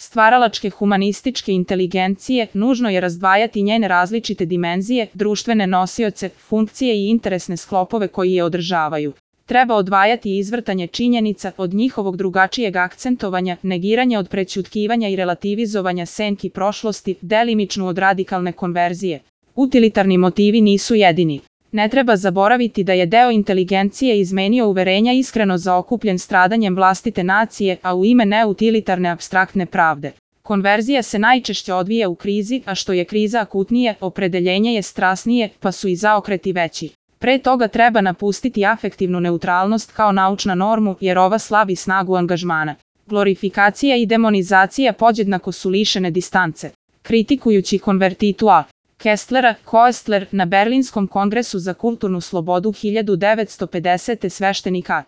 stvaralačke humanističke inteligencije nužno je razdvajati njene različite dimenzije, društvene nosioce, funkcije i interesne sklopove koji je održavaju. Treba odvajati izvrtanje činjenica od njihovog drugačijeg akcentovanja, negiranja od prećutkivanja i relativizovanja senki prošlosti, delimičnu od radikalne konverzije. Utilitarni motivi nisu jedini. Ne treba zaboraviti da je deo inteligencije izmenio uverenja iskreno zaokupljen stradanjem vlastite nacije, a u ime neutilitarne apstraktne pravde. Konverzija se najčešće odvija u krizi, a što je kriza akutnije, opredeljenje je strasnije, pa su i zaokreti veći. Pre toga treba napustiti afektivnu neutralnost kao naučna normu, jer ova slabi snagu angažmana. Glorifikacija i demonizacija podjednako su lišene distance. Kritikujući konvertitu A. Kestlera, Koestler na Berlinskom kongresu za kulturnu slobodu 1950. sveštenik A.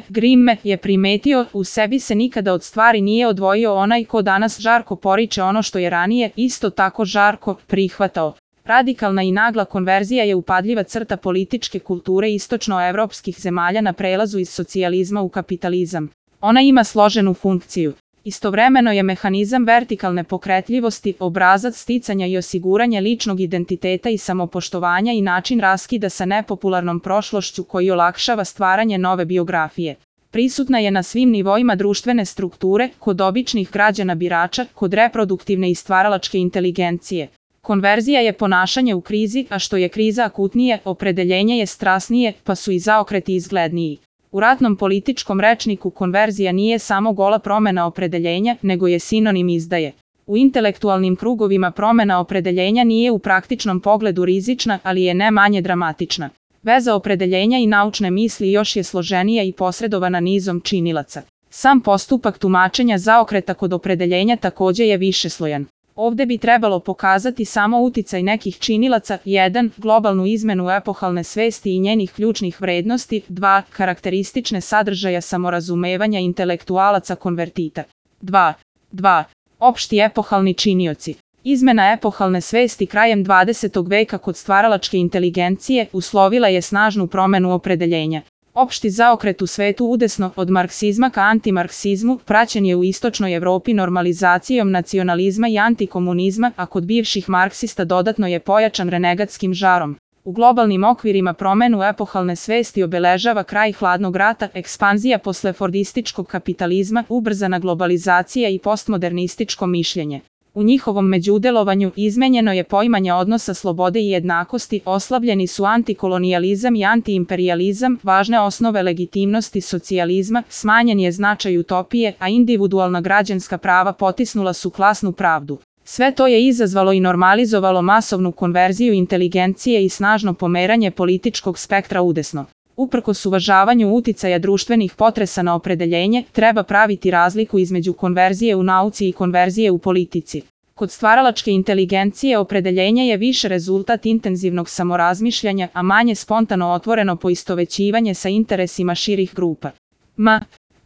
Grimme je primetio, u sebi se nikada od stvari nije odvojio onaj ko danas žarko poriče ono što je ranije, isto tako žarko prihvatao. Radikalna i nagla konverzija je upadljiva crta političke kulture istočnoevropskih zemalja na prelazu iz socijalizma u kapitalizam. Ona ima složenu funkciju. Istovremeno je mehanizam vertikalne pokretljivosti, obrazac sticanja i osiguranja ličnog identiteta i samopoštovanja i način raskida sa nepopularnom prošlošću koji olakšava stvaranje nove biografije. Prisutna je na svim nivoima društvene strukture, kod običnih građana birača, kod reproduktivne i stvaralačke inteligencije. Konverzija je ponašanje u krizi, a što je kriza akutnije, opredeljenje je strasnije, pa su i zaokreti izgledniji. U ratnom političkom rečniku konverzija nije samo gola promena opredeljenja, nego je sinonim izdaje. U intelektualnim krugovima promena opredeljenja nije u praktičnom pogledu rizična, ali je ne manje dramatična. Veza opredeljenja i naučne misli još je složenija i posredovana nizom činilaca. Sam postupak tumačenja zaokreta kod opredeljenja takođe je višeslojan. Ovde bi trebalo pokazati samo uticaj nekih činilaca, 1. Globalnu izmenu epohalne svesti i njenih ključnih vrednosti, 2. Karakteristične sadržaja samorazumevanja intelektualaca konvertita. 2. Opšti epohalni činioci. Izmena epohalne svesti krajem 20. veka kod stvaralačke inteligencije uslovila je snažnu promenu opredeljenja. Opšti zaokret u svetu udesno od marksizma ka antimarksizmu praćen je u istočnoj Evropi normalizacijom nacionalizma i antikomunizma, a kod bivših marksista dodatno je pojačan renegatskim žarom. U globalnim okvirima promenu epohalne svesti obeležava kraj hladnog rata, ekspanzija posle fordističkog kapitalizma, ubrzana globalizacija i postmodernističko mišljenje. U njihovom međudelovanju izmenjeno je poimanje odnosa slobode i jednakosti, oslabljeni su antikolonijalizam i antiimperijalizam, važne osnove legitimnosti socijalizma, smanjen je značaj utopije, a individualna građanska prava potisnula su klasnu pravdu. Sve to je izazvalo i normalizovalo masovnu konverziju inteligencije i snažno pomeranje političkog spektra udesno. Uprkos uvažavanju uticaja društvenih potresa na opredeljenje, treba praviti razliku između konverzije u nauci i konverzije u politici. Kod stvaralačke inteligencije opredeljenje je više rezultat intenzivnog samorazmišljanja, a manje spontano otvoreno poistovećivanje sa interesima širih grupa.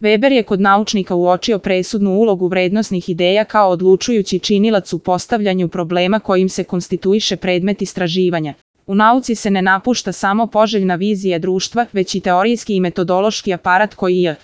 Weber je kod naučnika uočio presudnu ulogu vrednosnih ideja kao odlučujući činilac u postavljanju problema kojim se konstituiše predmet istraživanja. U nauci se ne napušta samo poželjna vizija društva, već i teorijski i metodološki aparat koji je